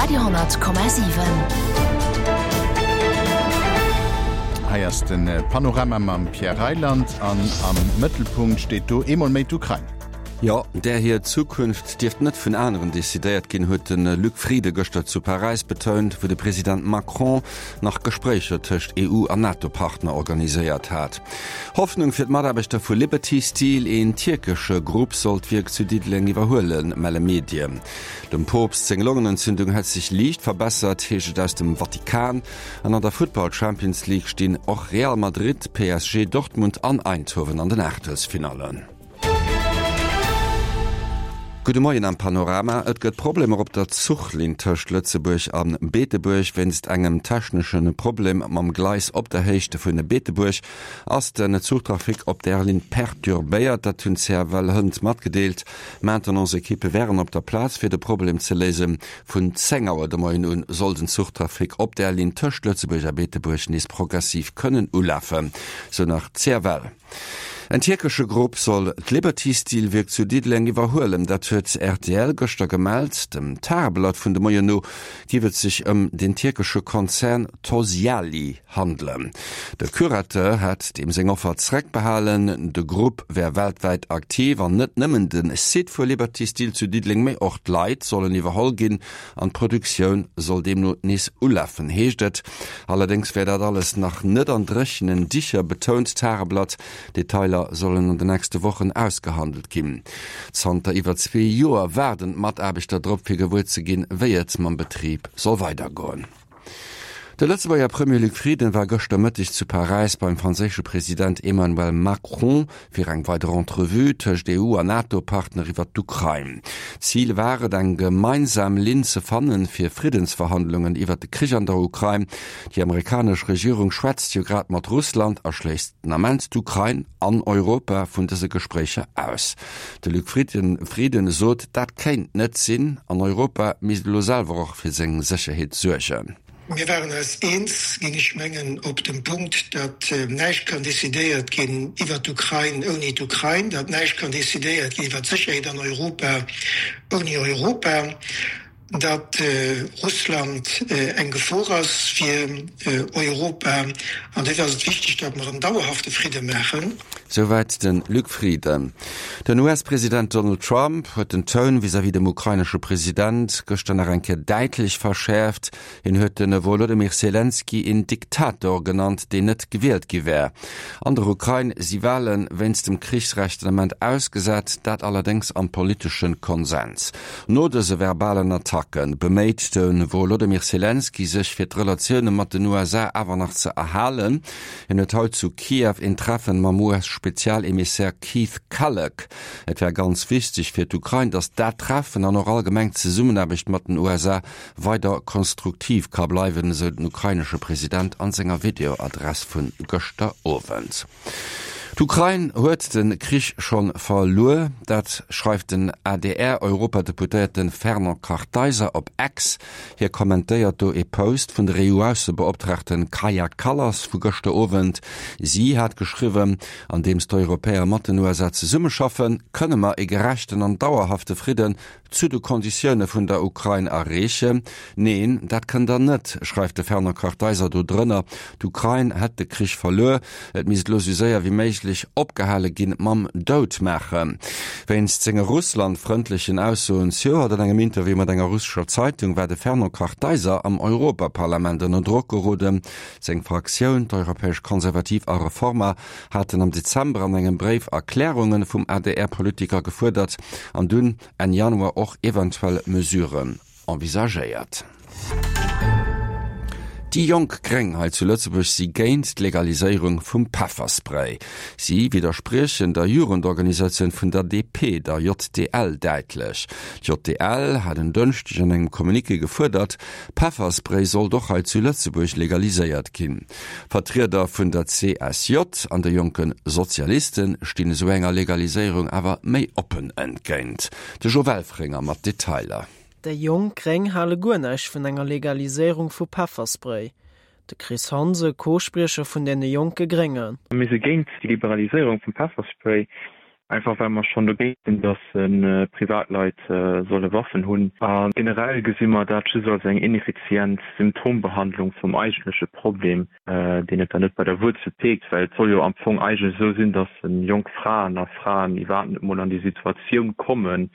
Radio,7. Hei ass de Panorama mam Pierre Reyland an am Mëttelpunkt steet do eemol méi d'Ukrain. Jo, där hir Zukunft dierft net vun aneren decidéiert ginn, huet de Luc Frieden gëschter zu Paräis betount, wou de President Macron nach Gespréicher tëscht EU an NATO-Partner organiséiert hat. Hoffnung fir d'Mataarbechter vu Liberty Steel, Een tierkesche Grupp soll d'Wierk zu Diddeleng iwwerhuelen, melle Medien. Dem Poopst seng Longenentzündung hätt sech liicht verbessert, heescht et aus dem Vatikan. An an der Futtball Champions League stinn och Real Madrid, PSG, Dortmund an Eindhoven an den Aachtelsfinallen. Gudde Moien am Panorama. Et gëtt Problemer op der Zuchlinn tëscht Lëtzebuerg a Beetebuerg. Wéinst engem technesche Problem mam Gleis op der Héicht vun Beetebuerg ass den Zuchtrafic op där Linn perturbéiert. Dat hunn d'CFL hënt matgedeelt. Maintenance-Ekippe wären op der Plaz fir de Problem ze léisen. Vun 10 Auer de Moien un soll den Zuchtrafic op där Linn tëscht Lëtzebuerg a Beetebuerg nees progressiv kënnen ulafen, sou nach d'CFL. En tierkesche Grupp soll d'Liberty Steel Wierk zu Diddeleng iwwerhuelen. Dat huet rtl gëschter gemellt. Dem Tageblatt vun de Moien no géif et sech ëm den tierkesche Konzern Tosyali handelen. De Curateur hätt deem seng Offer zeréckbehalen. De Grupp wär weltwäit aktiv an net nëmmen de Site vu Liberty Steel zu Diddeleng, mee och d'Leit sollen iwwerholl ginn An d'Produktioun soll deemno nees ulafen, heescht et. Allerdéngs wär dat alles nach net an dréchenen Dicher, betount d'Tageblatt. Detailer sollen an de nächste Wochen ausgehandelt ginn. Zanter iwwer zwee Joer waarden d'Mataarbechter drop, fir gewuer ze ginn, wéi et mam Betrib soll weidergoen. De Lëtzebuerger Premier Luc Frieden war gëschter Mëtteg zu Paräis beim franséische President Emmanuel Macron fir eng weider Entrevue tëscht EU an NATO-Partner iwwer d'Ukrain. Zil war et, eng gemeinsam Linn ze fannen, fir Friddensverhandlungen iwwer de Krich an der Ukrain. Déi amerikanesch Regierung schwätzt jo grad mat Russland a schléisst den Ament d'Ukrain an Europa vun dëse Gespréicher aus. De Luc Frieden sot, dat kéint net sinn an Europa misst elo selwer och fir seng Sécherheet suergen. Mir waren eis eens, géing ech mengen, op dem Punkt, datt näischt kann decidéiert ginn iwwert d'Ukrain ouni d'Ukrain, datt näischt kann decidéiert ginn iwwert d'Sécherheet an Europa ouni Europa, datt Russland eng Gefor ass fir Europa. An dofir ass et wichteg, datt mer en dauerhafte Fridde maachen. Souwäit de Luc Frieden. Den US-President Donald Trump huet den Toun vis-à-vis dem ukrainesche President gëschter nach eng Kéier däitlech verschäerft. Hien huet de Wolodymyr Selenskyj een Diktator genannt, deen net gewielt gi wär. An der Ukrain si Wale wéinst dem Krichsrecht den Ament ausgesat, dat allerdéngs am politesche Konsens. No dëse verbalen Attacke beméit de Wolodymyr Selenskyj sech fir d'Relatioune mat den USA awer nach ze erhalen. Hien huet haut zu Kiew een Treffen mam US-Spezialemissär Keith Kellogg. Et wär ganz wichteg fir d'Ukrain, datt dat Treffen an och allgemeng d'Zesummenaarbecht mat den USA weider konstruktiv ka bleiwen, esou den ukrainesche President an senger Videoadress vun gëschter Owend. D'Ukrain huet de Krich scho verluer, dat schreift den ADR-Europadeputéierte Fernand Kartheiser op X. Hie kommentéiert do ee Post vun der EU-Aussebeoptraagten Kaja Kallas vu gëschter Owend. Si hat geschriwwen, Andeems d'Europäer mat den USA zesummeschaffen, kënne mer ee gerechten an dauerhafte Fridden zu de Konditioune vun der Ukrain erreechen? Neen, dat kënnt der net, schreift de Fernand Kartheiser do drënner. D'Ukrain hätt de Krich verluer, et misst elo sou séier wéi méiglech opgehale ginn mam Doutmaachen. Wéinst senge russlandfrëndlechen Aussoen zejoert an engem Interview mat enger russescher Zeitung war de Fernand Kartheiser am Europaparlament ënner Drock geroden. Seng Fraktioun, d'Europäesch Konservativ a Reformer, haten am Dezember an engem Bréif Erklärunge vum ADR-Politiker gefuerdert an dunn Enn Januar och eventuell Mesuren envisagéiert. Déi jonk Gréng hei zu Lëtzebuerg si géint d'Legaliséierung vum Pefferspray. Si widderspriechen der Jugendorganisatioun vun der DP, der JDL, däitlech. D'JDL hat en Dënschdeg an engem Communiqué gefuerdert, Pefferspray sollt och hei zu Lëtzebuerg legaliséiert ginn. Vertrieder vun der CSJ an de Jonke Sozialiste stinn esou enger Legaliséierung awer méi oppen entgéint. De Jo Welfringer mat Detailer. Déi jonk Gréng hale guer näischt vun enger Legaliséierung vu Pefferspray. De Chris Hanse, Co-Spriecher vun deene jonke Gréngen. Mir si géint déi Liberaliséierung vum Pefferspray. Einfach well mer schonn dogéint sinn, dass Privatleit solle Waffen hunn. A generell gesi mer dat just als eng ineffizient Symptombehandlung vum eigentleche Problem, deen et dann net bei der Wuerzel peekt, well et soll jo am Fong eigentlech esou sinn, dass jonk Fraen a Fraen iwwerhaapt net mol an déi Situatioun kommen,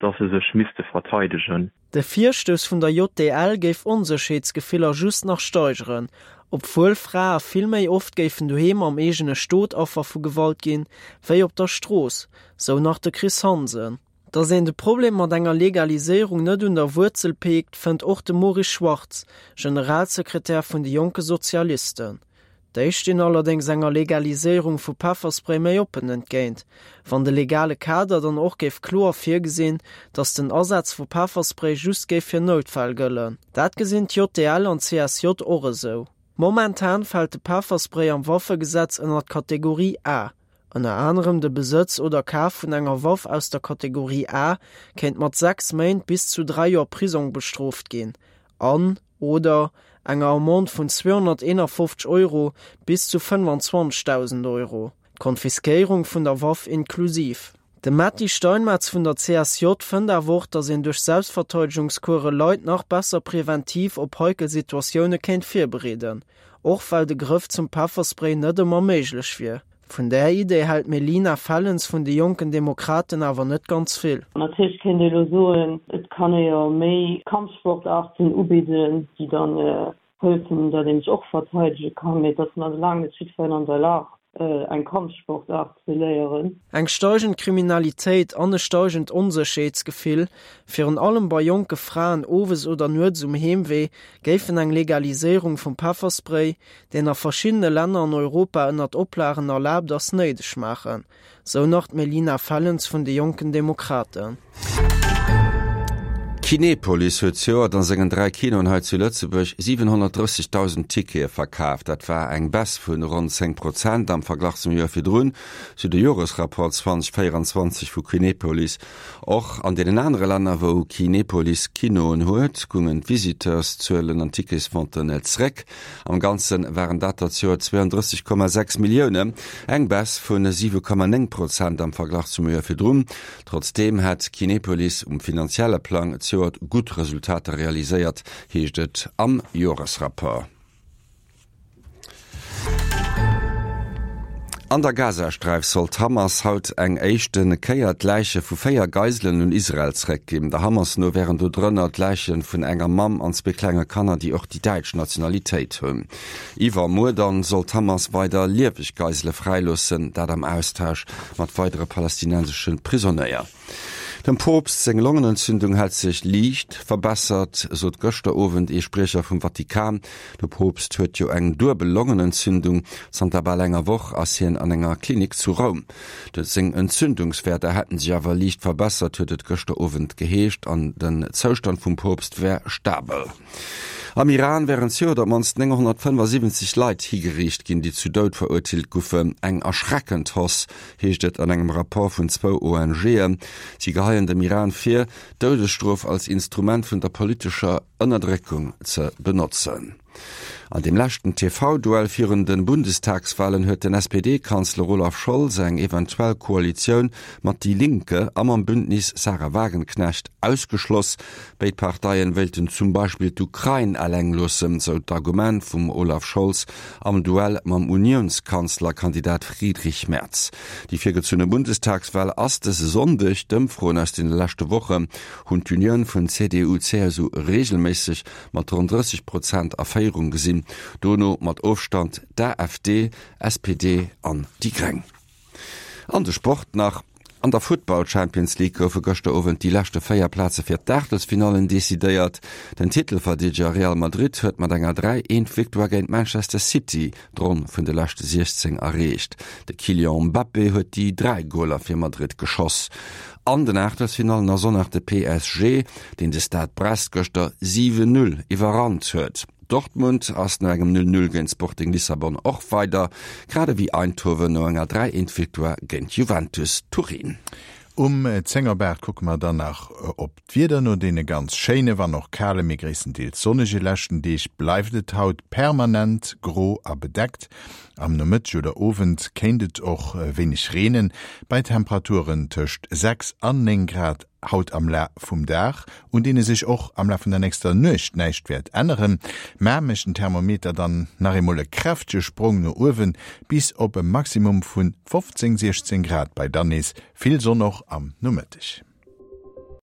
dass se sech misste verteidegen. De Virstouss vun der JDL géif Onsécherheetsgefiller just nach steigeren, obwuel Frae vill méi oft géifen doheem am eegene Stot Affer vu Gewalt ginn, wéi op der Strooss, sou nach de Chris Hansen. Datt een de Problem mat enger Legaliséierung net un der Wuerzel peekt, fënnt och de Maurice Schwarz, Generalsekretär vun de Jonke Sozialisten. Déi stinn allerdéngs enger Legaliséierung vu Pefferspray méi oppen entgéint, wann de legale Kader dann och géif kloer virgesinn, datt den Asaz vu Pefferspray just géif fir Noutfäll gëllen. Dat gesinn d'JDL an d'CSJ och esou. Momentan fält de Pefferspray am Waffegesetz ënner d'Kategorie A. Ënner anerem de Besëtz oder Kaf vun enger Waff aus der Kategorie A kéint mat 6 Méint bis zu 3 Joer Prisong bestrooft ginn an, oder enger Amende vun 251 Euro bis zu 25.000 Euro, d'Konfiskéierung vun der Waff inklusiv. De Metty Steinmetz vun der CSJ fënnt awer och, datt een duerch Selbstverteidegungskuere Leit nach besser preventiv op heikel Situatioune kéint virbereeden, och well de Grëff zum Pefferspray net ëmmer méiglech wier. Vun där Idee hält d'Melina Fellens vun de Jonken Demokraten awer net ganz vill. Natierlech kéint ee elo soen, et kann ee jo méi Kampfsportaarten ubidden, déi dann hëllefen, datt ee sech och verteidege kann, mee et ass nach laang net jiddwereen an der Lag, eng Kampfsportaart ze léieren. Eng steigend Kriminalitéit an e steigend Onsécherheetsgefill, virun allem bei jonke Fraen owes oder nuets um Heemwee, géifen eng Legaliséierung vum Pefferspray, deen a verschiddene Länner an Europa ënnert Oplagen erlaabt ass, néideg maachen, sou nach d'Melina Fellens vun de Jonken Demokraten. Kinepolis huet zejoert a sengen 3 Kinoen hei zu Lëtzebuerg 730.000 Tickete verkaaft. Dat war eng Baisse vun ronn 10 Prozent am Verglach zum Joer virdrun, sou de Joresrapport 2024 vu Kinepolis. Och an deenen anere Länner, wou Kinepolis Kinoen huet, goungen d'Visiteurszuelen an d'Ticketsventen zeréck. Am Ganze waren dat der zejoert 32,6 Milliounen, eng Baisse vu 7,9 Prozent am Verglach zum Joer virdrun. Trotzdeem hätt Kinepolis um finanzielle Plang zejoert gutt Resultater realiséiert, heescht et am Joresrapport. An der Gazasträif soll d'Hamas haut eng éischte Kéier d'Läiche vu 4 Geiselen un Israel zeréckginn. Der Hamas no wären do drënner d'Läiche vun enger Mamm an zwee klenge Kanner, déi och déi däitsch Nationalitéit hunn. Iwwermuer dann soll d'Hamas weider lieweg Geisele fräiloossen, dat am Austausch mat weidere palästinensesche Prisonéier. Dem Poopst seng Longenentzündung hätt sech liicht verbessert, sot gëschter Owend ee Spriecher vum Vatikan. De Poopst huet jo eng duebel Longenentzündung. Zanter bal enger Woch ass hien an enger Klinik zu Roum. Seng Entzündungswäerter hätten sech awer liicht verbessert, huet et gëschter Owend geheescht, an den Zoustand vum Poopst wär stabel. Am Iran wären zejoert op d'mannst 975 Leit higeriicht ginn, déi zu Doud verurteelt goufen. Eng erschreckend Hausse, heescht et an engem Rapport vun zwou ONGen. Si geheien dem Iran vir, d'Doudesstrof als Instrument vun der politescher Ënnerdréckung ze benotzen. An deem leschten TV-Duell virun de Bundestagswalen huet den SPD-Kanzler Olaf Scholz eng eventuell Koalitioun mat Die Linke a mam Bündnis Sahra Wagenknecht ausgeschloss. Béid Parteien wéilten zum Beispill d'Ukrain eleng loossen, sou d'Argument vum Olaf Scholz am Duell mam Uniounskanzlerkandidat Friedrich Merz. Déi virgezunne Bundestagswal ass dëse Sonndeg. D'Ëmfroen aus deene leschte Wochen hunn d'Unioun vun CDU-CSU reegelméisseg mat ronn 30 Prozent a Féierung gesinn, dono mat Ofstand d'AfD, SPD an déi Gréng. An de Sport nach, An der Futtball-Champions League goufe gëschter Owend déi leschte 4 Plaze fir d'Aachtelsfinallen decidéiert. Den Titelverdeedeger Real Madrid huet mat enger 3, 1 Victoire géint Manchester City d'Ronn vun de leschte 16 erreecht. De Kylian Mbappé huet déi 3 Goler fir Madrid geschoss. An den Aachtelsfinallen ass och nach de PSG, deen de Stade Brest gëschter 7, 0 iwwerrannt huet. Dortmund ass no engem 0, 0 géint Sporting Lissabon och weider, grad ewéi Eindhoven no enger 3, 1 Victoire géint Juventus Turin. Um 10 op 8 kucke mer dann nach op d'Wieder. No deene ganz schéine, wann och kale, mee gréisstendeels sonnege leschten Deeg bleift et haut permanent gro a bedeckt. Am Nomëtteg oder Owend kéint et och wéineg reenen, bei Temperaturen tëscht 6 an 9 Grad. Haut am Laf vum Dag, un deene sech och am Laf vun der nächster Nuecht näischt wäert änneren, mä mécht den Thermometer dann nach eemol e kräftege Sprong no uewen bis op e Maximum vun 15, 16 Grad bei dann nees vill Sonn och am Nomëtteg.